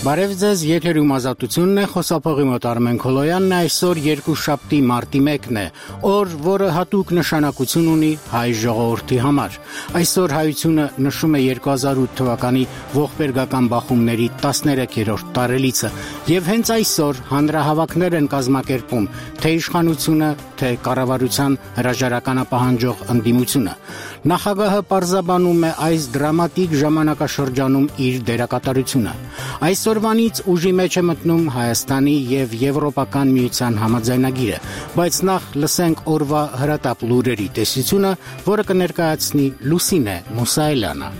Բարև ձեզ, եթերում ազատությունն է, խոսափողի մոտ Արմեն Քոլոյանն է, այսօր երկուշաբթի մարտի 1-ն է, օր, որը հատուկ նշանակություն ունի հայ ժողովրդի համար։ Այսօր հայությունը նշում է 2008 թվականի ողբերգական բախումների 13-րդ տարելիցը, եւ հենց այսօր հանրահավաքներ են կազմակերպում թե իշխանությունը, թե կառավարության հրաժարականապահանջող ընդդիմությունը։ Նախագահը պարզաբանում է այս դրամատիկ ժամանակաշրջանում իր դերակատարությունը։ Այսօրվանից ուժի մեջ է մտնում Հայաստանի եւ Եվրոպական միության համաձայնագիրը, բայց նախ լսենք օրվա հրատապ լուրերի տեսությունը, որը կներկայացնի Լուսինե Մուսայելյանը։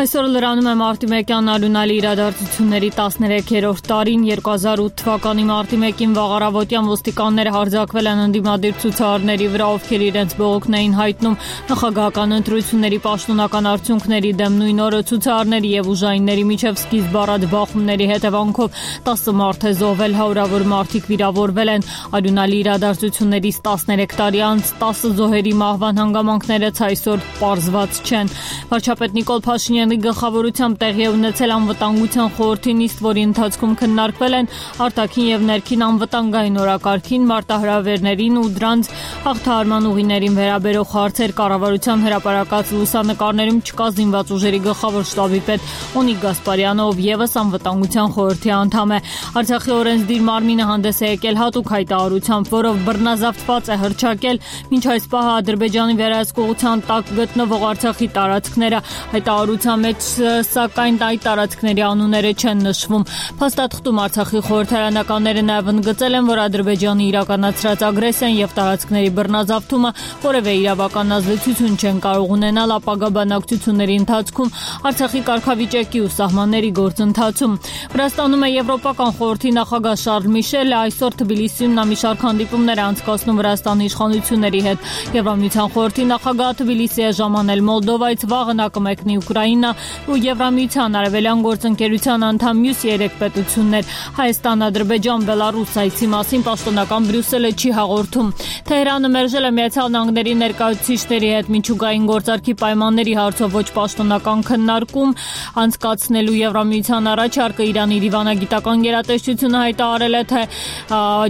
Այսօր լրանում է մարտի 1-յան արյունալի իրադարձությունների 13-րդ տարին 2008 թվականի մարտի 1-ին վաղարավոտյան ոստիկանները հարձակվել են ընդդիմադիր ցուցարարների վրա, ովքեր իրենց բողոքն էին հայտնում նախագահական ընտրությունների պաշտոնական արդյունքների դեմ։ Նույն օրը ցուցարարների եւ ուժայինների միջև սկիզբ առած բախումների հետևանքով 10 մարդ է զոհվել, հարյուրավոր մարդիկ վիրավորվել են։ Արյունալի իրադարձություններից 13 տարի անց 10 զոհերի մահվան հանգամանքները այսօր պարզված չեն։ Վարչապետ Նիկոլ Փաշինյանը գլխավորությամբ տեղի է ունեցել անվտանգության խորհրդի նիստ, որի ընթացքում քննարկվել են արտաքին եւ ներքին անվտանգային օրակարգին, մարտահրավերներին ու դրանց հաղթահարման ուղիներին վերաբերող հարցեր։ Կառավարության հրապարակած լուսանկարներում չկա զինված ուժերի գլխավոր շտաբի պետ Օնիկ Գասպարյանը, ով եւս անվտանգության խորհրդի անդամ է։ Արցախի օրենսդիր մարմինը հանդես է եկել հատուկ հայտարարությամբ, որով բռնազավթված է հռչակել մինչ այս պահը Ադրբեջանի վերահսկողության տակ գտնվող Արցախի տարածքները։ Հայտարարության մեջ սակայն այդ տարածքների անունները չեն նշվում։ Փաստաթղթում Արցախի խորհրդարանականները նաև ընդգծել են, որ Ադրբեջանի իրականացրած ագրեսիան եւ տարածքների բռնազավթումը որևէ իրավական ազդեցություն չեն կարող ունենալ ապագա բանակցությունների ընթացքում Արցախի կարգավիճակի ու սահմանների գործընթացում։ Վրաստանում է Եվրոպական խորհրդի նախագահ Շարլ Միշելը այսօր Թբիլիսիում նա մի շարք հանդիպումներ է անցկացնում Վրաստանի իշխանությունների հետ։ Եվրամիության խորհրդի նախագահը Թբիլիսի է ժամանել Մոլդովայից, վաղը նա կմեկնի Ուկրաինա ու Եվրամիության արևելյան գործընկերության անդամ մյուս 3 պետություններ։ Հայաստան, Ադրբեջան, Բելարուս այցի մասին պաշտոնական Բրյուսելը չի հաղորդում։ Թեհրանը մերժել է Միացյալ Նահանգների ներկայացուցիչների հետ միջուկային գործարքի պայմանների հարցով ոչ պաշտոնական քննարկում անցկացնելու Եվրամիության առաջարկը։ Իրանի դիվանագիտական գերատեսչությունը հայտարարել է, թե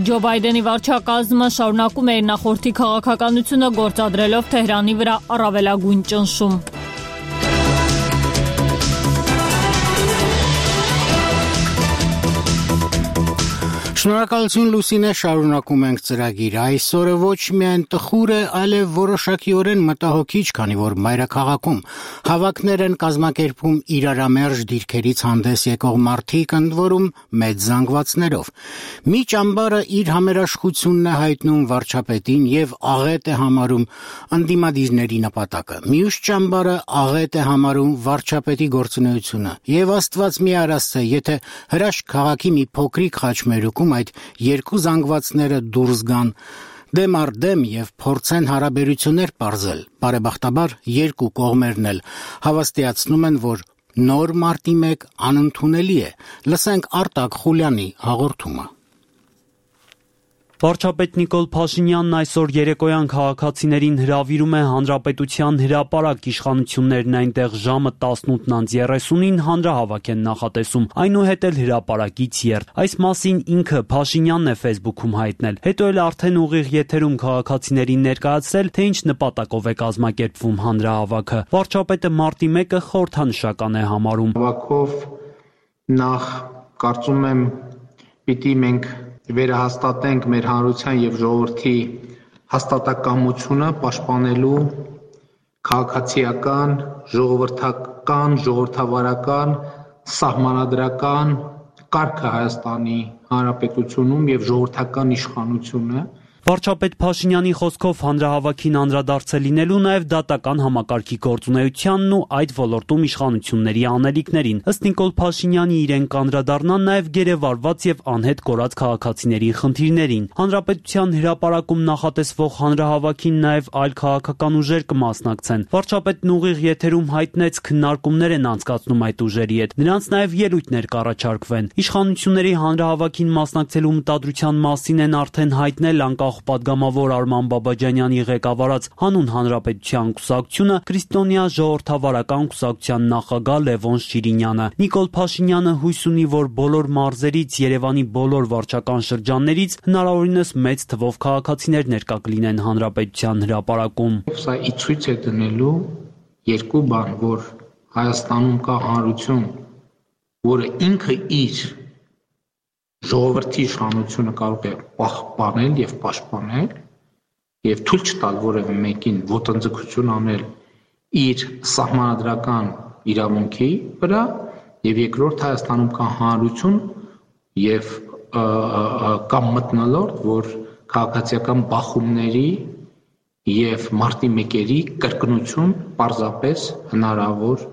Ջո Բայդենի վարչակազմը շարունակում է իր նախորդի քաղաքականությունը, գործադրելով Թեհրանի վրա առավելագույն ճնշում։ Շնորհակալություն Լուսինե, շարունակում ենք ծրագիրը։ Այսօրը ոչ միայն տխուր է, այլև որոշակիորեն մտահոգիչ, քանի որ մայրաքաղաքում հավաքներ են կազմակերպում իրարամերժ դիրքերից հանդես եկող մարդիկ, ընդ որում մեծ զանգվածներով։ Մի ճամբարը իր համերաշխությունն է հայտնում վարչապետին եւ աղետ է համարում ընդդիմադիրների նպատակը։ Մյուս ճամբարը աղետ է համարում վարչապետի գործունեությունը։ Եվ Աստված մի արասցե, եթե հրաշք քաղաքի մի փոքրիկ խաչմերուկում այդ երկու զանգվածները դուրս գան դեմ առ դեմ եւ փորձեն հարաբերություններ պարզել, բարեբախտաբար երկու կողմերն էլ հավաստիացնում են, որ նոր մարտի 1 անընդունելի է։ Լսենք Արտակ Խուլյանի հաղորդումը։ Վարչապետ Նիկոլ Փաշինյանն այսօր երեկոյան քաղաքացիներին հրավիրում է Հանրապետության հրապարակ, իշխանություններն այնտեղ ժամը 18:30-ին հանրահավաք են նախատեսում, այնուհետ էլ հրապարակից եռդ։ Այս մասին ինքը Փաշինյանն է Facebook-ում հայտնել, հետո էլ արդեն ուղիղ եթերում քաղաքացիներին ներկայացրել, թե ինչ նպատակով է կազմակերպվում հանրահավաքը։ Վարչապետը մարտի 1-ը խորհրդանշական է համարում։ Հավաքով նախ կարծում եմ պիտի մենք վերահաստատենք մեր հանրության եւ ժողովրդի հաստատակամությունը պաշտպանելու քաղաքացիական, ժողովրդական, ժողովրդավարական, սահմանադրական կարգը Հայաստանի Հանրապետությունում եւ ժողովրդական իշխանությունը։ Վարչապետ Փաշինյանի խոսքով հանրահավաքին անդրադարձել լինելու նաև դատական համակարգի գործունեությանն ու այդ ոլորտում իշխանությունների անելիքներին։ Ըստ Նիկոլ Փաշինյանի իրեն կանդրադառնան նաև գերեվարված եւ անհետ կորած քաղաքացիների խնդիրներին։ Հանրապետության հրապարակում նախատեսվող հանրահավաքին նաև այլ քաղաքական ուժեր կմասնակցեն։ Վարչապետն ուղիղ եթերում հայտնեց քննարկումներ են անցկացնում այդ ուժերի հետ։ Նրանց նաև ելույթներ կառաջարկվեն։ Իշխանությունների հանրահավաքին մասնակցելու մտադրության մասին են արդեն հայտնել անկախ նախապատգամավոր Արման Բաբաջանյանի ղեկավարած Հանուն Հանրապետության կուսակցությունը, Քրիստոնյա ժողովրդավարական կուսակցության նախագահ Լևոն Շիրինյանը։ Նիկոլ Փաշինյանը հույս ունի, որ բոլոր մարզերից, Երևանի բոլոր վարչական շրջաններից հնարավորինս մեծ թվով քաղաքացիներ ներկա կլինեն Հանրապետության հրապարակում։ Սա ցույց է դնելու երկու բան, որ Հայաստանում կա հանրություն, որը ինքը իր ժողովրդի իշխանությունը կարող է պահպանել եւ պաշտպանել եւ թույլ չտալ որևէ մեկին ոտնձգություն անել իր սահմանադրական իրավունքի վրա, եւ երկրորդ Հայաստանում կա հանրություն եւ կամ մթնոլորտ, որ քաղաքացիական բախումների եւ մարտի մեկերի կրկնություն պարզապես հնարավոր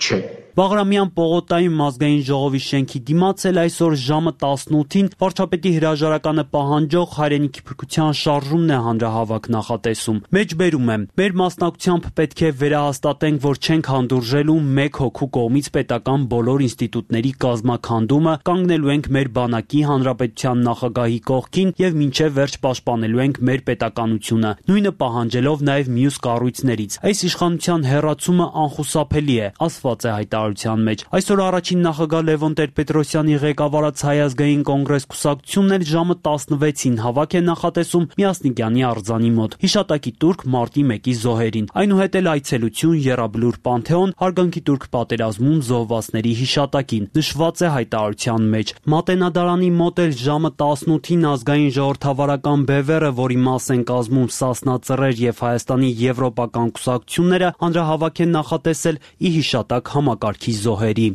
չէ։ Բաղրամյան պողոտայում ազգային ժողովի շենքի դիմաց էլ այսօր ժամը 18-ին վարչապետի հրաժարականը պահանջող հայրենիքի փրկության շարժումն է հանրահավաք նախատեսում։ Մեջբերում եմ, մեր մասնակցությամբ պետք է վերահաստատենք, որ չենք հանդուրժելու մեկ հոգու կողմից պետական բոլոր ինստիտուտների կազմաքանդումը, կանգնելու ենք մեր բանակի, հանրապետության նախագահի կողքին եւ մինչեւ վերջ պաշտպանելու ենք մեր պետականությունը, նույնը պահանջելով նաեւ մյուս կառույցներից։ Այս իշխանության հեռացումը անխուսափելի է, ասված է մեջ։ Այսօր առաջին նախագահ Լևոն Տեր-Պետրոսյանի ղեկավարած Հայ ազգային կոնգրես կուսակցությունն էլ ժամը 16-ին հավաք է նախատեսում Միասնիկյանի արձանի մոտ։ Հիշատակի տուրք մարտի 1-ի զոհերին։ Այնուհետ էլ այցելություն Եռաբլուր Պանթեոն, հարգանքի տուրք պատերազմում զոհվածների հիշատակին, նշված է հայտարարության մեջ։ Մատենադարանի մոտ էլ ժամը 18-ին ազգային ժողովրդավարական բևեռը, որի մաս են կազմում Սասնա Ծռեր եւ Հայաստանի եվրոպական կուսակցությունները, հանրահավաք են նախատեսել ի հիշատակ համակարգի զոհերի։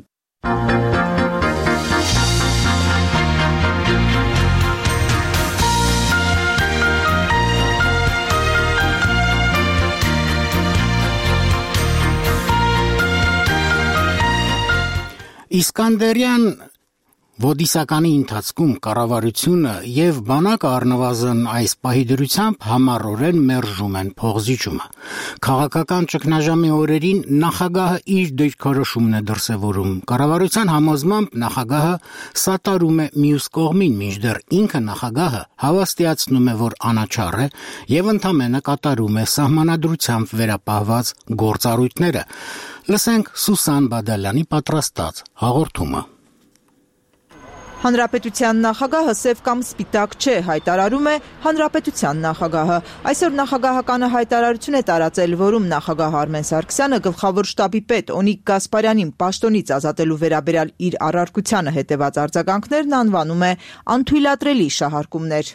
Իսկանդերյան Ոդիսականի ընթացքում կառավարությունը եւ բանակը առնվազն այս պահի դրությամբ համառորեն մերժում են փողզիջումը։ Քաղաքական ճգնաժամի օրերին նախագահը իր դիրքորոշումն է դրսևորում։ Կառավարության համոզմամբ նախագահը սատարում է մյուս կողմին, մինչդեռ ինքը նախագահը հավաստիացնում է, որ անաչառ է եւ ընդամենը կատարում է սահմանադրությամբ վերապահված գործառույթները։ Լսենք Սուսան Բադալյանի պատրաստած հաղորդումը։ Հանրապետության նախագահը սև կամ սպիտակ չէ, հայտարարում է Հանրապետության նախագահը։ Այսօր նախագահականը հայտարարություն է տարածել, որում նախագահ Արմեն Սարգսյանը գլխավոր շտաբի պետ Օնիկ Գասպարյանին պաշտոնից ազատելու վերաբերյալ իր առարկությանը հետևած արձագանքներն անվանում է անթույլատրելի շահարկումներ։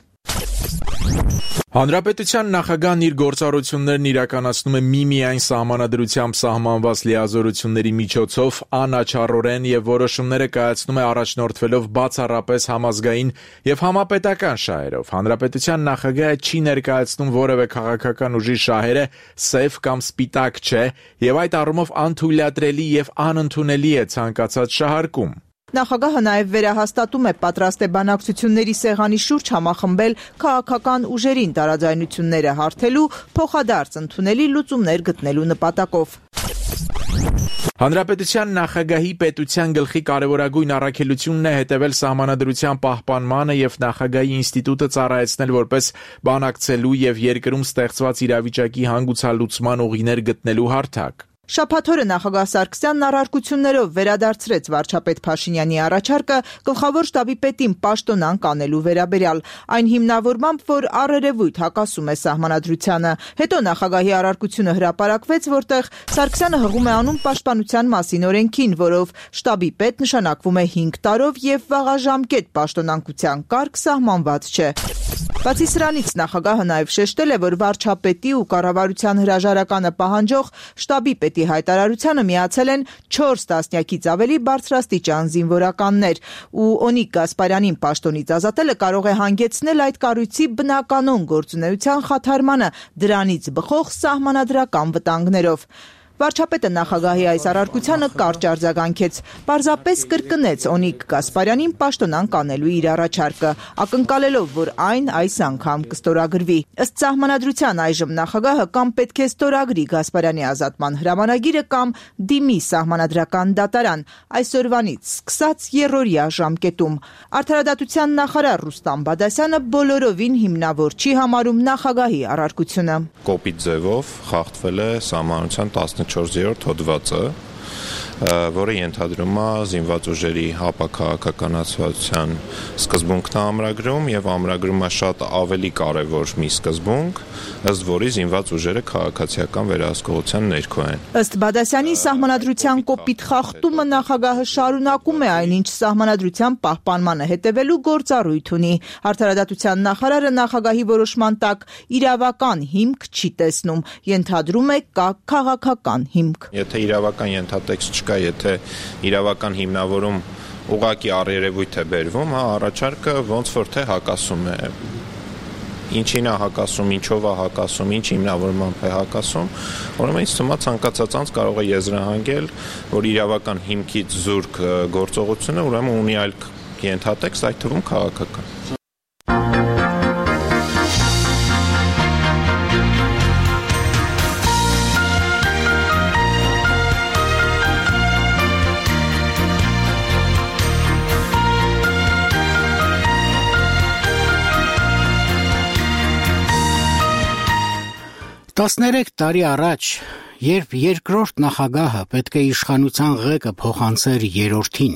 Հանրապետության նախագահն իր գործառույթներն իրականացնում է միմիայն սահմանադրությամբ սահմանված լիազորությունների միջոցով, անաչառորեն եւ որոշումները կայացնում է առաջնորդվելով բացառապես համազգային եւ համապետական շահերով։ Հանրապետության նախագահը չի ներկայացնում որևէ քաղաքական ուժի շահերը սև կամ սպիտակ չէ եւ այդ առումով անթույլատրելի եւ անընդունելի է ցանկացած շահարկում։ Նախագահը նաև վերահաստատում է պատրաստ է բանակցությունների սեղանի շուրջ համախմբել քաղաքական ուժերին տարաձայնությունները հարթելու, փոխադարձ ընդունելի լուծումներ գտնելու նպատակով։ Հանրապետության նախագահի պետության գլխի կարևորագույն առաքելությունն է հետևել սահմանադրության պահպանմանը եւ նախագահի ինստիտուտը ծառայեցնել որպես բանակցելու եւ երկրում ստեղծված իրավիճակի հանգուցալուծման ուղիներ գտնելու հարթակ։ Շաբաթ օրը նախագահ Սարգսյանն առարկություններով վերադարձրեց վարչապետ Փաշինյանի առաջարկը գլխավոր շտաբի պետին պաշտոնան կանելու վերաբերյալ, այն հիմնավորմամբ, որ առերևույթ հակասում է սահմանադրությանը։ Հետո նախագահի առարկությունը հրապարակվեց, որտեղ Սարգսյանը հղում է անում պաշտպանության մասին օրենքին, որով շտաբի պետ նշանակվում է 5 տարով եւ վաղաժամկետ պաշտոնանկության կարգ սահմանված չէ։ Բացի սրանից նախագահը նաև շեշտել է, որ վարչապետի ու կառավարության հրաժարականը պահանջող շտաբի պետի հայտարարությանը միացել են 4 տասնյակից ավելի բարձրաստիճան զինվորականներ, ու Օնիկ Գասպարյանին պաշտոնից ազատելը կարող է հանգեցնել այդ կառույցի բնականոն գործունեության խաթարմանը, դրանից բխող սահմանադրական վտանգներով։ Վարչապետը նախագահի այս առարկությանը կարճ արձագանքեց, պարզապես կրկնեց Օնիկ Գասպարյանին պաշտոնան կանելու իր առաջարկը, ակնկալելով, որ այն այս անգամ կստորագրվի։ Ըստ սահմանադրության այժմ նախագահը կամ պետք է ստորագրի Գասպարյանի ազատման հրամանագիրը կամ դիմի սահմանադրական դատարան, այսօրվանից սկսած երրորդյա ժամկետում։ Արդարադատության նախարար Ռուստամ Բադասյանը բոլորովին հիմնավոր չի համարում նախագահի առարկությունը։ Կոպիտ ձևով խախտվել է սահմանության 14-րդ հոդվածը, որը ենթադրում է զինված ուժերի ապաքաղաքականացվածության սկզբունքն ամրագրում եւ ամրագրում է շատ ավելի կարեւոր մի սկզբունք, ըստ որի զինված ուժերը քաղաքացիական վերահսկողության ներքո են։ Ըստ Բադասյանի սահմանադրության կոպիտ խախտումը նախագահը շարունակում է այնինչ սահմանադրության պահպանմանը հետևելու գործառույթ ունի։ Արդարադատության նախարարը նախագահի որոշման տակ իրավական հիմք չի տեսնում, ենթադրում է կա քաղաքական հիմք։ Եթե իրավական ենթատեքստ չկա, եթե իրավական հիմնավորում ուղղակի առերևույթ է բերվում, առաջարկը ոնց որ թե հակասում է։ Ինչին է հակասում, ինչով է հակասում, ինչ հիմնավորմամբ է հակասում, ուրեմն ինձ թվում է ցանկացած անձ կարող է եզրահանգել, որ իրավական հիմքից զուրկ գործողությունը ուրեմն ունի այլ ենթատեքստ, այդ թվում քաղաքական։ Տասներեք տարի առաջ, երբ երկրորդ նախագահը պետք է իշխանության ղեկը փոխանցեր երրորդին,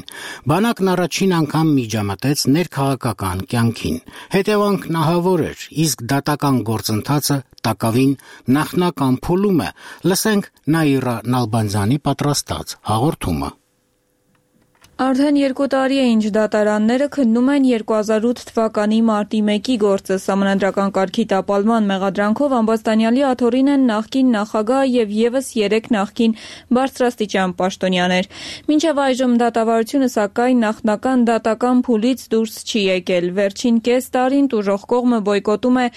բանակն առաջին անգամ միջամտեց ներքաղաքական կյանքին։ Հետևանքն ահավոր էր, իսկ դատական գործընթացը տակավին նախնական փուլում է։ Լսենք Նաիրա Նալբանդյանի պատրաստած հաղորդումը։ Արդեն 2 տարի է ինչ դատարանները քննում են 2008 թվականի մարտի 1-ի գործը սահմանադրական կարգի տապալման մեղադրանքով ամբաստանյալի աթոռին են նախկին նախագահ եւ եւս 3 նախկին բարձրաստիճան պաշտոնյաներ։ Մինչեւ այժմ դատավարությունը սակայն նախնական դատական փուլից դուրս չի եկել։ Վերջին կես տարին տուժող կողմը բոյկոտում է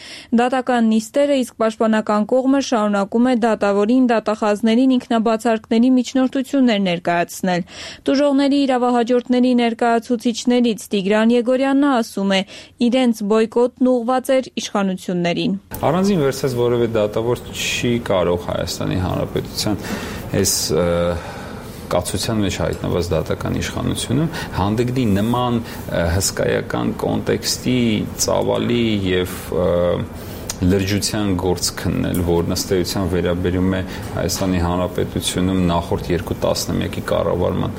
դատական նիստերը, իսկ պաշտպանական կողմը շարունակում է դատավորին, դատախազներին ինքնաբացարկների միջնորդություններ ներկայացնել։ Տուժողների հաջորդների ներկայացուցիչներից Տիգրան Եգորյանն ասում է, իրենց բոյկոտն ուղղված էր իշխանություններին։ Առանձին վերցած որևէ դատավոր չի կարող Հայաստանի Հանրապետության այս կացության մեջ հայտնված դատական իշխանությունում հանդգնի նման հսկայական կոնտեքստի ծավալի եւ լրջության գործ քննել, որ նստեյության վերաբերում է Հայաստանի Հանրապետությունում նախորդ 2 տասնամյակի կառավարման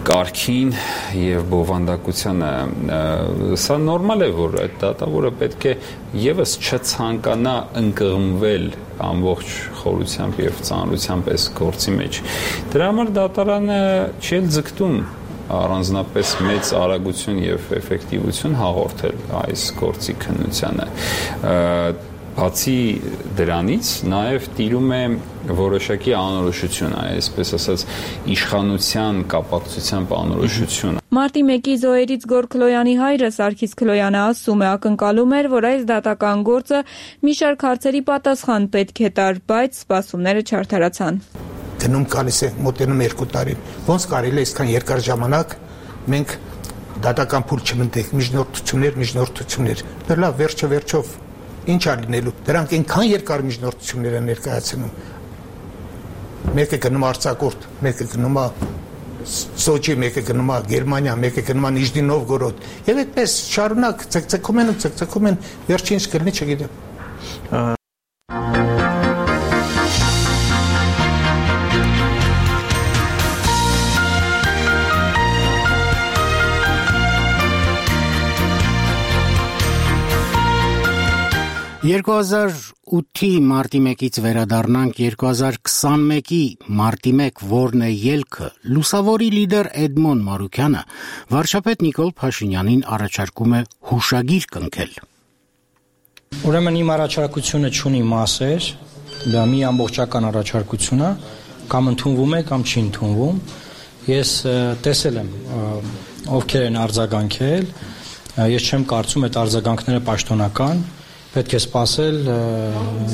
կարգին եւ բովանդակությանը, սա նորմալ է, որ այդ դատավորը պետք է եւս չցանկանա ընկղմվել ամբողջ խորությամբ եւ ծանրությամբ այս գործի մեջ։ Դրա համար դատարանը չի ձգտում առանձնապես մեծ արագություն եւ էֆեկտիվություն հաղորդել այս գործի քննությանը։ Բացի դրանից նաև տիրում է որոշակի անորոշություն, այսպես ասած իշխանության կապակցությամբ անորոշություն։ Մարտի 1-ի զոհերից Գոր Քլոյանի հայրը Սարգիս Քլոյանը ասում է, ակնկալում էր, որ այս դատական գործը մի շարք հարցերի պատասխան պետք է տար, բայց սպասումները չարդարացան։ Գնում գալիս է մոտենում 2 տարին։ Ոնց կարելի է այսքան երկար ժամանակ մենք դատական փուլ չմտնենք, միջնորդություններ։ Լավ, վերջով ինչ է լինելու։ Դրանք այնքան երկար միջնորդություններ են ներկայացնում։ Մեկը գնում արձակուրդ, մեկը գնում Սոչի, մեկը գնում Գերմանիա, մեկը գնում Նիժնի Նովգորոդ։ Եվ այդպես շարունակ ցկցկում են, վերջինս կլինի չգիտեմ։ «2008-ի մարտի 1-ից վերադառնանք 2021-ի մարտի 1, որն է ելքը», լուսավորի լիդեր Էդմոն Մարուքյանը վարչապետ Նիկոլ Փաշինյանին առաջարկում է հուշագիր կնքել։ Ուրեմն իմ առաջարկությունը չունի մասեր, դա մի ամբողջական առաջարկություն է, կամ ընդունվում է, կամ չի ընդունվում։ Ես տեսել եմ ովքեր են արձագանքել, ես չեմ կարծում այդ արձագանքները պաշտոնական պետք է սպասել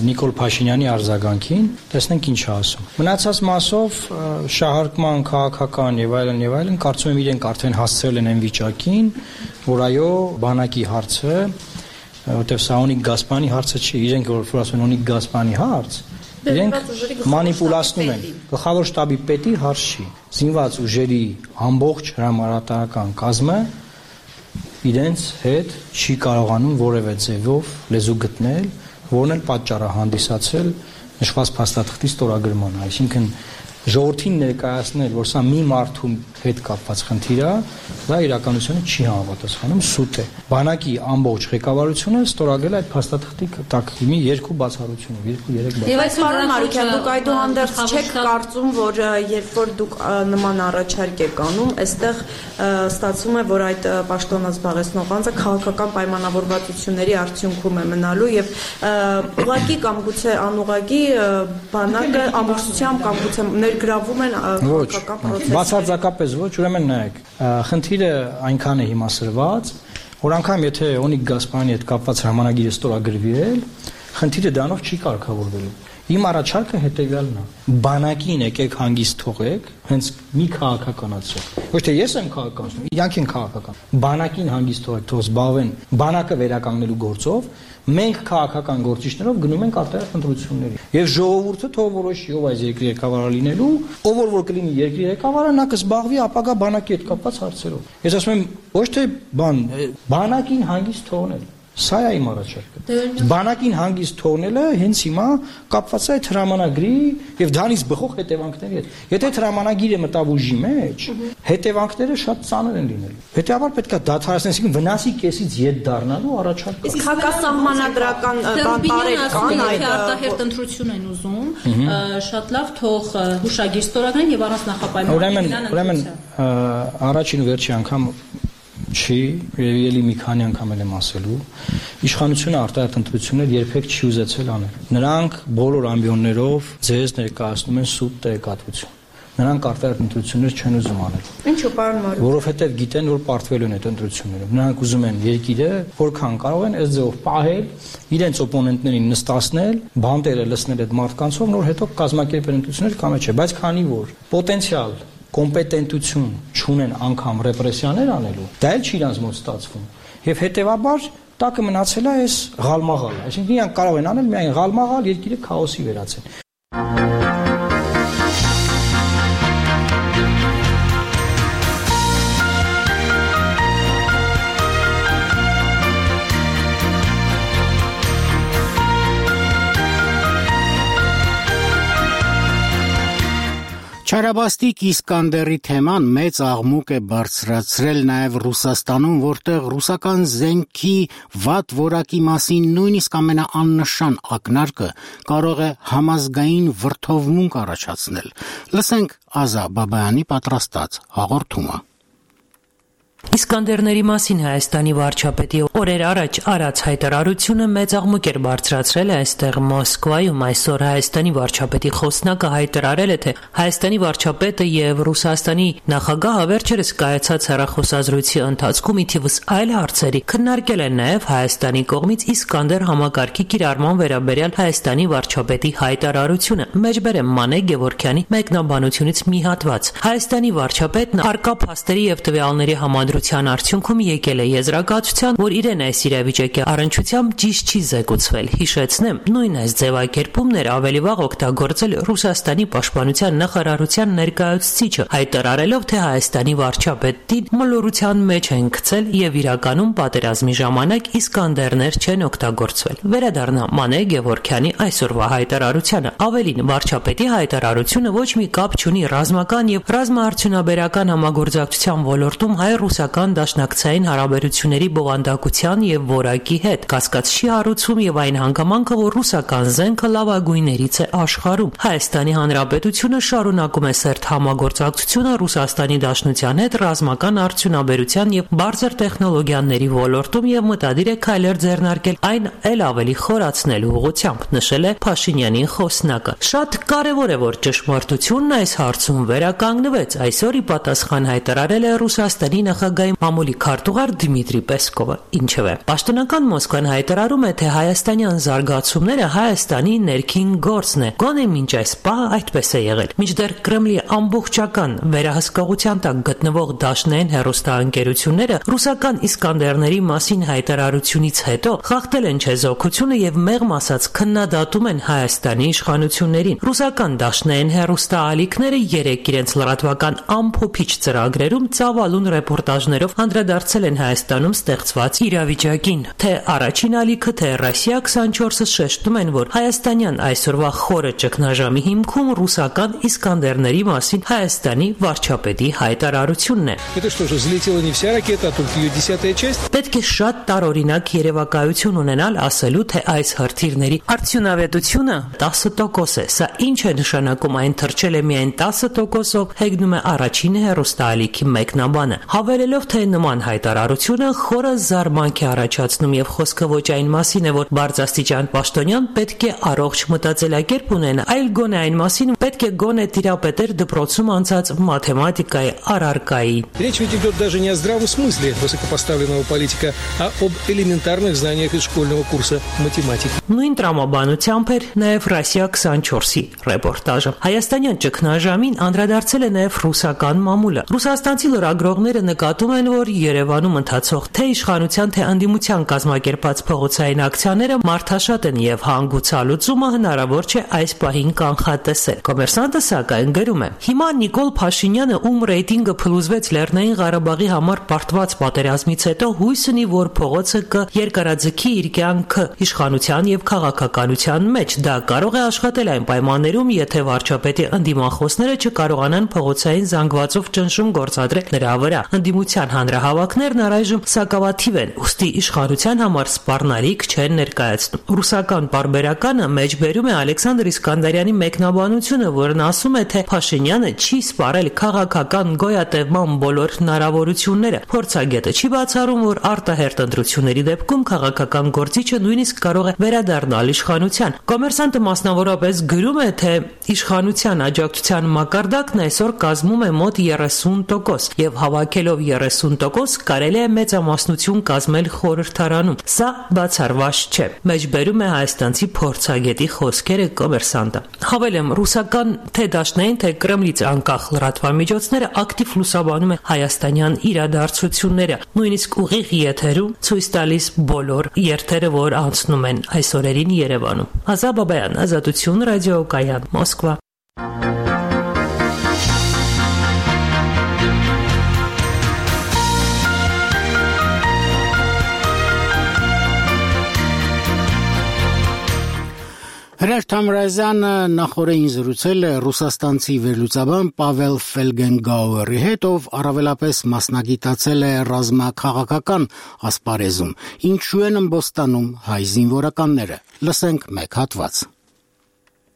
Նիկոլ Փաշինյանի արձագանքին, տեսնենք ինչ է ասում։ Մնացած մասով շահարկման քաղաքական եւ այլն, կարծում եմ իրենք արդեն հասցրել են այն վիճակին, որ այո, բանակի հարցը, որտեղ սա Օնիկ Գասպանի հարցը չի, իրենք որ ասում են Օնիկ Գասպանի հարց, իրենք մանիպուլացնում են։ Գլխավոր շտաբի պետի հարց չի։ Զինված ուժերի ամբողջ հրամանատարական կազմը իրենց հետ չի կարողանում որևէ ձևով լեզու գտնել, որն էլ պատճառ է հանդիսացել նշված փաստաթղթի ստորագրմանը, այսինքն ժողովրդին ներկայացնել, որ սա մի մարդու հետ կապված խնդիր է, դա իրականությունը չի համապատասխանում, սուտ է։ Բանակի ամբողջ ղեկավարությունը ստորագրել այդ փաստաթղթի տակ մի երկու բացառությունով, 2-3 բացառություն։ Եվ այս պարոն Մարուկյան, դուք այդուհանդերձ չեք կարծում, որ երբ որ դուք նման առաջարկ եք անում, այստեղ ստացվում է, որ այդ պաշտոնը զբաղեցնող անձը քաղաքական պայմանավորվածությունների արդյունքում է մնալու եւ ուղղակի կամ գուցե անուղղակի բանակը ամբողջությամբ կամ գուցե ներգրավում են քաղաքական process-ը։ Բացարձակապես ոչ, ուրեմն նայեք, խնդիրը այնքան է հիմա սրված, որ անգամ եթե Օնիկ Գասպարյանի հետ կապված հրամանագիրը ստորագրվի, խնդիրը դրանով չի կարգավորվելու։ Իմ առաջարկը հետեւյալն է. բանակին եկեք հանգիստ թողեք, հենց մի քաղաքականացրեք։ Ոչ թե ես եմ քաղաքականացնում, իրանք են քաղաքական։ Բանակին հանգիստ թողեք, թող զբաղվեն բանակը վերականգնելու գործով, մենք քաղաքական գործիչներով գնում ենք արտահայտ ընտրությունների։ Եվ ժողովուրդը թող որոշի ով այս երկրի ղեկավարը լինելու, ով որ կլինի երկրի ղեկավարը, նա կզբաղվի ապագա բանակի հետ կապված հարցերով։ Ես ասում եմ, ոչ թե բանակին հանգիստ թողնել։ Սա է իմ առաջարկը։ Բանակին հանգիստ թողնելը հենց հիմա կապված է այդ հրամանագրի եւ դրանից բխող հետևանքների հետ։ Եթե հրամանագիրը մտավ ուժի մեջ, հետևանքները շատ ծանր են լինելու։ Հետեւաբար պետք է դադարեցնել, այսինքն վնասի կեսից ետ դառնալու առաջարկ։ Իսկ հակասահմանադրական բանտարեր կան այդ արտահերտ ընտրություն են ուզում, շատ լավ թող հուշագիր ստորագրեն եւ առանց նախապայմանների։ Ուրեմն առաջին ու վերջի անգամ չի, ելի մի քանի անգամ եմ ասելու, իշխանությունը արտահայտ ընտրություններ երբեք չի ուզեցել անել։ Նրանք բոլոր ամբիոններով ձեզ ներկայացնում են սուտ տեղեկատվություն։ Նրանք արտահայտ ընտրություններ չեն ուզում անել։ Ինչու՞ պարոն Մարուկյան։ Որովհետև գիտեն, որ պարտվելու են այդ ընտրություններով։ Նրանք ուզում են երկիրը, որքան կարող են այս ձևով պահել, իրենց օպոնենտներին նստացնել, բանտերը լցնել այդ մարդկանցով, նոր հետո կազմակերպել ընտրություններ կամ չէ, բայց քանի որ պոտենցիալ կոմպետենտություն չունեն անգամ ռեպրեսիաներ անելու, դա էլ չի իրանց մոտ ստացվում։ Եվ հետևաբար տակը մնացել է այս ղալմաղալը, այսինքն իրանք կարող են անել միայն ղալմաղալ, երկիրը քաոսի վերածել։ Չարաբաստիկ Իսկանդերի թեման մեծ աղմուկ է բարձրացրել նաև Ռուսաստանում, որտեղ ռուսական զենքի վատ որակի մասին նույնիսկ ամենաաննշան ակնարկը կարող է համազգային վրդովմունք առաջացնել։ Լսենք Ազա Բաբայանի պատրաստած հաղորդումը։ Իսկանդերների մասին Հայաստանի վարչապետի օրեր առաջ արած հայտարարությունը մեծ աղմուկ էր բարձրացրել այստեղ Մոսկվայում։ Այսօր Հայաստանի վարչապետի խոսնակը հայտարարել է, թե Հայաստանի վարչապետը եւ Ռուսաստանի նախագահը վերջերս կայացած հեռախոսազրույցի ընթացքում ի թիվս այլ հարցերի քննարկել են նաեւ Հայաստանի կողմից Իսկանդեր համակարգի կիրառման վերաբերյալ Հայաստանի վարչապետի հայտարարությունը։ Մեջբերեմ Մանե Գևորգյանի մեկնաբանությունից մի հատված։ Հայաստանի վարչապետն արկա փաստերի եւ տվյալների համադրության արդյունքում եկել է եզրակացության, որ իրեն այս իրավիճակի առնչությամբ ճիշտ չի զեկուցվել։ Հիշեցնեմ, նույն այս ձևակերպումն էր ավելի վաղ օգտագործել Ռուսաստանի պաշտպանության նախարարության ներկայացուցիչը, հայտարարելով, թե Հայաստանի վարչապետին մոլորության մեջ են գցել եւ իրականում պատերազմի ժամանակ Իսկանդերներ չեն օգտագործվել։ Վերադառնա Մանե Գևորգյանի այսօրվա հայտարարությանը։ Ավելին, վարչապետի հայտարարությունը ոչ մի կապ չունի ռազմական եւ ռազմաարդյունաբերական համագործակցության ոլորտում հայ-ռուսական դաշնակցային հարաբերությունների բովանդակության եւ որակի հետ, կասկած չի հարուցում եւ այն հանգամանքը, որ ռուսական զենքը լավագույններից է աշխարհում։ Հայաստանի Հանրապետությունը շարունակում է սերտ համագործակցությունը Ռուսաստանի Դաշնության հետ ռազմական արդյունաբերության եւ բարձր տեխնոլոգիաների ոլորտում եւ մտադիր է քայլեր ձեռնարկել այն էլ ավելի խորացնելու ուղղությամբ, նշել է Փաշինյանի խոսնակը։ Շատ կարեւոր է, որ ճշմարտությունն այս հարցում վերականգնվեց։ Այսօր ի պատասխան հայտարարել է Ռուսաստանի նախագահ նախագահի մամուլի քարտուղար Դմիտրի Պեսկովը։ Ինչևէ, պաշտոնական Մոսկվան հայտարարում է, թե հայաստանյան զարգացումները Հայաստանի ներքին գործն է։ Գոնե մինչ այս պահը այդպես է եղել։ Մինչդեռ Կրեմլի ամբողջական վերահսկողության տակ գտնվող դաշնային հեռուստաընկերությունները ռուսական Իսկանդերների մասին հայտարարությունից հետո խախտել են չեզոքությունը եւ մեղմ ասած քննադատում են Հայաստանի իշխանություններին։ Ռուսական դաշնային հեռուստաալիքները երեք իրենց լրատվական ամփոփիչ ծրագրերում ծավալուն ռեպորտաժներով անդրադարձել են Հայաստանում ստեղծված իրավիճակին։ Թե առաջին ալիքը, թե Ռոսիա 24-ը շեշտում են, որ հայաստանյան այսօրվա խորը ճգնաժամի հիմքում ռուսական Իսկանդերների մասին Հայաստանի վարչապետի հայտարարությունն է։ Պետք է շատ տարօրինակ երևակայություն ունենալ ասելու, թե այս հրթիռների արդյունավետությունը 10% է։ Սա ինչ է նշանակում, այն թռչել է միայն 10%-ով, հեգնում է առաջին հեռուստաալիքի մեկնաբանը, հավելելով, թե նման հայտարարությունը խորը զարմանք է առաջացնում եւ խոսքը ոչ այն մասին է, որ բարձրաստիճան պաշտոնյան պետք է առողջ մտածելակերպ ունենա, այլ գոնե այն մասին պետք է գոնե տիրապետեր դպրոցում անցած մաթեմատիկայի առարկայի։ Речь ведь идет даже не о здравом смысле высокопоставленного политика, а об элементарных знаниях из школьного курса математики. Նույն տրամաբանությամբ էր նաև Ռոսիա 24-ի ռեպորտաժը։ Հայաստանյան ճգնաժամին անդրադարձել է նաև ռուսական մամուլը։ Ռուսաստանցի լրագրողները նկատում են, որ Երևանում ընթացող թե իշխանության, թե անդիմության կազմակերպած փողոցային ակցիաները մարդաշատ են եւ հանգուցալուծումը հնարավոր չէ այս պահին կանխատեսել։ Կոմերսանտը սակայն գրում է. Հիմա Նիկոլ Փաշինյանը, ում ռեյտինգը փլուզվեց Լեռնային Ղարաբաղի համար պարտված պատերազմից հետո, հույս ունի, որ փողոցը կերկարաձգի իր կյանքը իշխանության եւ քաղաքականության մեջ։ Դա կարող է աշխատել այն պայմաններում, եթե վարչապետի ընդդիմախոսները չկարողանան փողոցային զանգվածով ճնշում գործադրել նրա վրա։ Ընդդիմության հանրահավաքներն առայժմ սակավաթիվ են, ուստի իշխանության համար սպառնալիք չեն ներկայացնում։ Ռուսական պարբերականը մեջբերում է Ալեքսանդր Իսկանդարյանի մեկնաբանությունը, որն ասում է, թե Փաշինյանը չի սպառել քաղաքական գոյատևման բոլոր հնարավորությունները։ Փորձագետը չի բացառում, որ արտահերթ ընտրությունների դեպքում քաղաքական գործիչը նույնիսկ կարող է վերադառնալ իշխանության։ Կոմերսանտը մասնավորապես գրում է, թե իշխանության աջակցության մակարդակն այսօր կազմում է մոտ 30% եւ հավաքելով 30% կարելի է մեծամասնություն կազմել խորհրդարանում։ Սա բացառված չէ։ Մեջբերում է հայաստանցի փորձագետի խոսքերը Կոմերսանտը։ Հավելեմ, ռուսական թե դաշնային, թե Կրեմլից անկախ լրատվամիջոցները ակտիվ լուսաբանում են հայաստանյան իրադարձությունները, նույնիսկ ուղիղ եթերում ցույց տալիս բոլոր երթերը, որ անցնում են այս օրերին Երևանում։ Ազա Բաբայան, Ազատություն, ռադիոկայան, Մոսկվա։ Հրաշ Թամրազյանը նախորդին զրուցել է ռուսաստանցի վերլուծաբան Պավել Ֆելգենգաուերի հետ, ով առավելապես մասնագիտացել է ռազմաքաղաքական ասպարեզում, ինչու են ըմբոստանում հայ զինվորականները։ Լսենք մեկ հատված։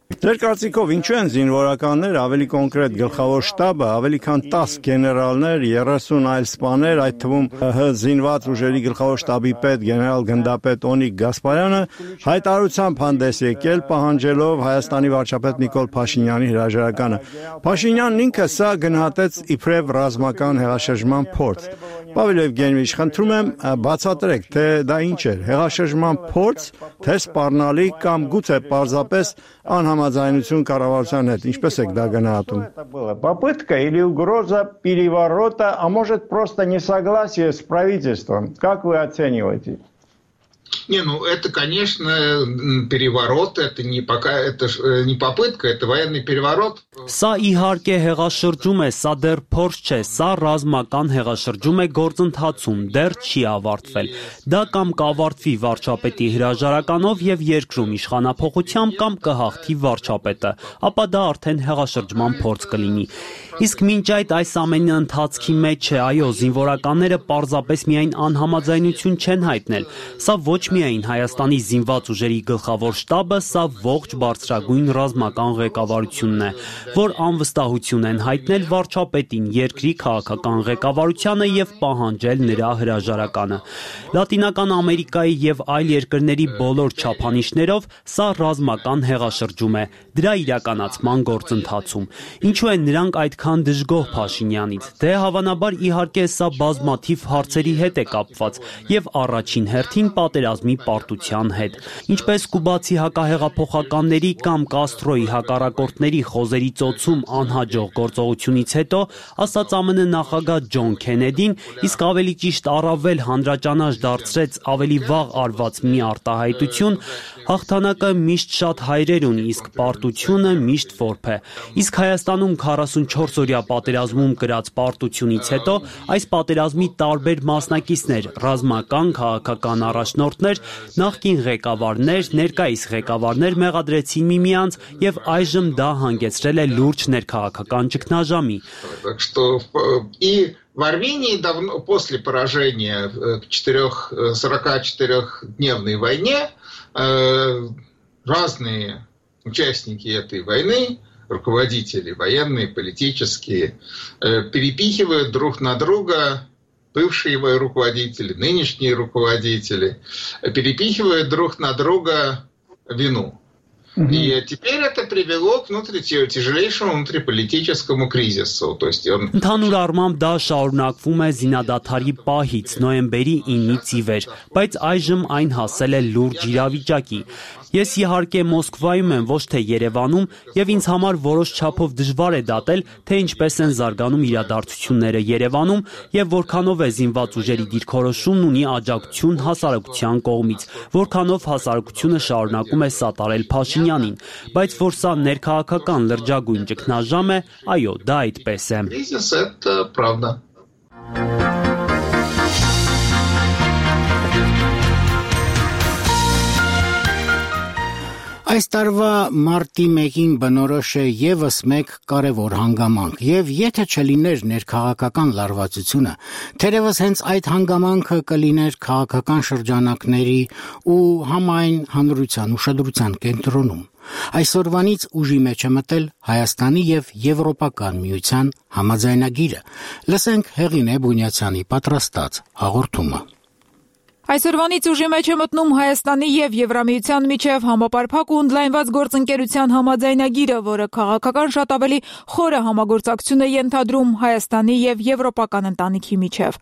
Ձեր կարծիքով ինչու են զինվորականները, ավելի կոնկրետ գլխավոր շտաբը, ավելի քան 10 գեներալներ, 30 այլ սպաներ, այդ թվում ՀՀ զինված ուժերի գլխավոր շտաբի պետ գեներալ գնդապետ Օնիկ Գասպարյանը հայտարարությամբ հանդես եկել, պահանջելով Հայաստանի վարչապետ Նիկոլ Փաշինյանի հրաժարականը։ Փաշինյանն ինքը սա գնահատեց իբրև ռազմական հեղաշրջման փորձ։ Պավել Եվգենիևիչ, խնդրում եմ բացատրեք, թե դա ինչ էր, հեղաշրջման փորձ, թե սպառնալիք կամ գուցե պարզապես անհամաձայնություն կառավարության հետ, ինչպես եք դա գնահատում։ Попытка или угроза переворота, а может просто несогласие с правительством. Как вы оцениваете? Не, ну это, конечно, переворот, это не попытка, это военный переворот. Սա իհարկե հեղաշրջում է, սա դեռ փորձ չէ, սա ռազմական հեղաշրջում է գործընթացում, դեռ չի ավարտվել։ Դա կամ կավարտվի վարչապետի հրաժարականով եւ երկրում իշխանափոխությամբ կամ կհաղթի վարչապետը, ապա դա արդեն հեղաշրջման փորձ կլինի։ Իսկ մինչ այս ամենի ընթացքի մեջ է, այո, զինվորականները պարզապես միայն անհամաձայնություն չեն հայտնել։ Սա ոչ միայն Հայաստանի զինված ուժերի գլխավոր շտաբը, սա ողջ բարձրագույն ռազմական ղեկավարությունն է, որ անվստահություն են հայտնել վարչապետին, երկրի քաղաքական ղեկավարությանը եւ պահանջել նրա հրաժարականը։ Լատինական Ամերիկայի եւ այլ երկրների բոլոր չափանիշներով սա ռազմական հեղաշրջում է, դրա իրականացման գործընթացում։ Ինչու են նրանք այդքան դժգոհ Փաշինյանից։ Դե հավանաբար իհարկե սա բազմաթիվ հարցերի հետ է կապված եւ առաջին հերթին պատերազմի պարտության հետ։ Ինչպես կուբացի հակահեղափոխականների կամ Կաստրոյի հակառակորդների խոզերի ծոցում անհաջող գործողությունից հետո ասաց ԱՄՆ նախագահ Ջոն Քենեդին, իսկ ավելի ճիշտ առավել հանրաճանաչ դարձրեց ավելի վաղ արված մի արտահայտություն, հաղթանակը միշտ շատ հայրեր ունի, իսկ պարտությունը միշտ որբ է։ Իսկ Հայաստանում 44-օրյա պատերազմում կրած պարտությունից հետո այս պատերազմի տարբեր մասնակիցներ, ռազմական, քաղաքական առաջնորդներ, նախկին ղեկավարներ, ներկայիս ղեկավարներ մեղադրեցին միմյանց եւ այժմ դա հանգեցրել է լուրջ ներքաղաքական ճգնաժամի։ Так что и в Армении давно после поражения в 44-дневной войне разные участники этой войны, руководители военные, политические, перепихивают друг на друга, бывшие руководители, нынешние руководители, перепихивают друг на друга вину. И теперь это привело к тяжелейшему внутриполитическому кризису. То есть он... Ընդհանուր առմամբ դա շարունակվում է զինադադարի պահից նոյեմբերի 9-ից ի վեր, բայց այժմ այն հասել է լուրջ իրավիճակի։ Ես իհարկե Մոսկվայում եմ, ոչ թե Երևանում, եւ ինձ համար որոշ չափով դժվար է դատել, թե ինչպես են զարգանում իրադարձությունները Երևանում եւ որքանով է զինված ուժերի դիրքորոշումն ունի աջակցություն հասարակության կողմից, որքանով հասարակությունը շարունակում է սատարել Փաշինյանին, բայց որ սա ներքաղաքական լրջագույն ճգնաժամ է, այո, դա այդպես է։ Это правда. Այս տարվա մարտի 1-ին բնորոշ է եւս մեկ կարևոր հանգամանք, եւ եթե չլիներ ներքաղաքական լարվածությունը, թերևս հենց այդ հանգամանքը կլիներ քաղաքական շրջանակների ու համայն հանրության ուշադրության կենտրոնում։ Այսօրվանից ուժի մեջ է մտել Հայաստանի եւ Եվրոպական միության համաձայնագիրը։ Լսենք Հեղինե Բունյացյանի պատրաստած հաղորդումը։ Այսօրվանից ուժի մեջ է մտնում Հայաստանի եւ Եվրամիության միջև համապարփակ ու ընդլայնված գործընկերության համաձայնագիրը, որը քաղաքական շատ ավելի խորը համագործակցություն է ենթադրում Հայաստանի եւ Եվրոպական ընտանիքի միջև։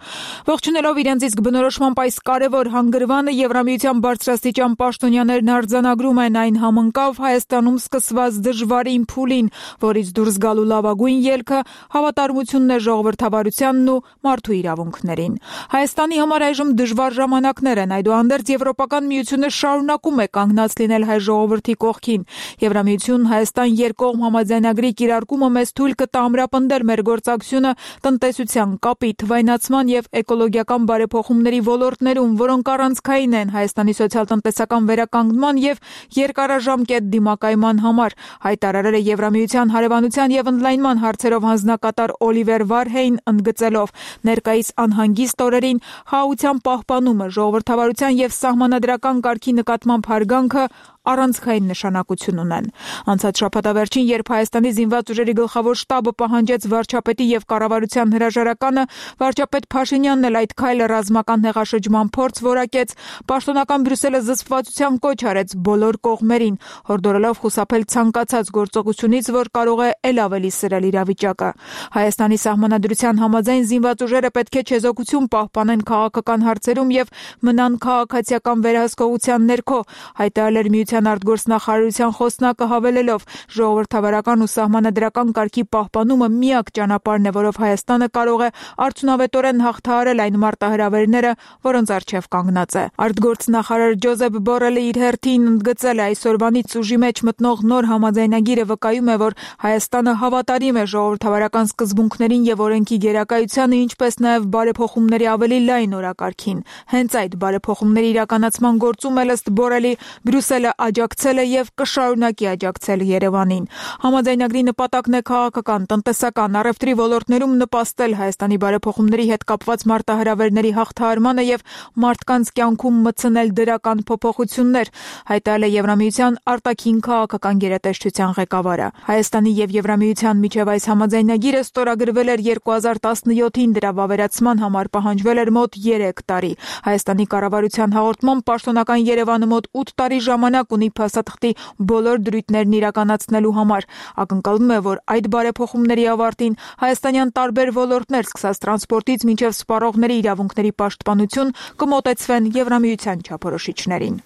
Ողջունելով իրենց իսկ բնորոշմամբ այս կարևոր հանգրվանը Եվրամիության բարձրաստիճան պաշտոնյաներն արձանագրում են այն համընկավ Հայաստանում սկսված դժվարին փուլին, որից դուրս գալու լավագույն ելքը հավատարմությունն է ժողովրդավարությանն ու մարդու իրավունքներին։ Հայաստանի համար այժմ դժվար ժամանակ Այդուհանդերձ Եվրոպական միությունը շարունակում է կանգնած լինել հայ ժողովրդի կողքին։ Եվրամիություն Հայաստան երկկողմ համաձայնագրի կիրարկումը մեզ թույլ կտա ամրապնդել մեր գործակցությունը տնտեսության, կապի, թվայնացման եւ էկոլոգիական բարեփոխումների ոլորտներում, որոնք առանցքային են Հայաստանի սոցիալ-տնտեսական վերականգնման եւ երկարաժամկետ դիմակայման համար, հայտարարել է Եվրամիության հարևանության եւ ընդլայնման հարցերով հանձնակատար Օլիվեր Վարհեյն, ընդգծելով ներկայիս անհանգիստ օրերին հաղթության պահպանումը ժողովրդավարության եւ սահմանադրական կարգի նկատմամբ հարգանքը առանցքային նշանակություն ունեն։ Անցած շաբաթավերջին, երբ Հայաստանի զինված ուժերի գլխավոր շտաբը պահանջեց վարչապետի եւ կառավարության հրաժարականը, վարչապետ Փաշինյանն էլ այդ քայլը ռազմական հեղաշրջման փորձ որակեց, պաշտոնական Բրյուսելը զսպվածության կոչ արեց բոլոր կողմերին, հորդորելով խուսափել ցանկացած գործողությունից, որ կարող է ել ավելի սրել իրավիճակը։ Հայաստանի սահմանադրության համաձայն զինված ուժերը պետք է չեզոքություն պահպանեն քաղաքական հարցերում եւ մնան քաղաքացիական վերահսկողության ներքո, հայտարարել Միության արտգործնախարարության խոսնակը հավելելով ժողովրդավարական ու սահմանադրական կարգի պահպանումը միակ ճանապարհն է, որով Հայաստանը կարող է արդյունավետորեն հաղթահարել այն մարտահրավերները, որոնց առջև կանգնած է։ Արտգործնախարար Ջոզեփ Բորելը իր հերթին ընդգծել է այսօրվանից ուժի մեջ մտնող նոր համաձայնագիրը վկայում է, որ Հայաստանը հավատարիմ է ժողովրդավարական սկզբունքներին եւ օրենքի գերակայությանը, ինչպես նաեւ բարեփոխումների ավելի լայն օրակարգին։ Հենց այդ բարեփոխումների իրականացման գործում էլ ըստ Բորելի Բրյուսելը աջակցել է եւ կշարունակի աջակցել Երևանին։ Համաձայնագրի նպատակն է քաղաքական, տնտեսական, առևտրի ոլորտներում նպաստել Հայաստանի բարեփոխումների հետ կապված մարտահրավերների հաղթահարմանը եւ մարդկանց կյանքում մտցնել դրական փոփոխություններ, հայտարարել է Եվրամիության արտաքին քաղաքական գերատեսչության ղեկավարը։ Հայաստանի եւ Եվրամիության միջև այս համաձայնագիրը ստորագրվել էր 2017-ին, դրա վավերացման համար պահանջվել էր մոտ 3 տարի։ Հայաստանի կառավարության հաղորդմամբ պաշտոնական Երևանը մոտ 8 տարի ժամանակ ունի փաստաթղթի բոլոր դրույթներն իրականացնելու համար։ Ակնկալվում է, որ այդ բարեփոխումների ավարտին հայաստանյան տարբեր ոլորտներ, սկսած տրանսպորտից մինչև սպառողների իրավունքների պաշտպանություն, կմոտեցվեն Եվրամիության չափորոշիչներին։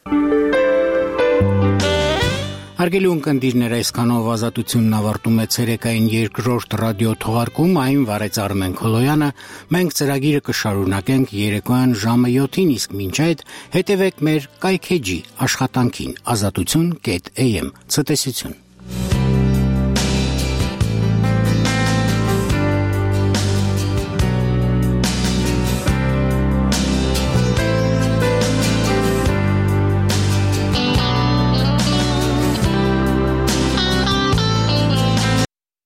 Հարգելի ունկնդիրներ, այսքանով ազատությունն ավարտում է ցերեկային երկրորդ ռադիո թողարկում, այն վարեց Արմեն Քոլոյանը։ Մենք ծրագիրը կշարունակենք երեկոյան ժամը 7-ին, իսկ մինչ այդ հետևեք մեր կայքեջի աշխատանքին azatutun.am։ Ցտեսություն։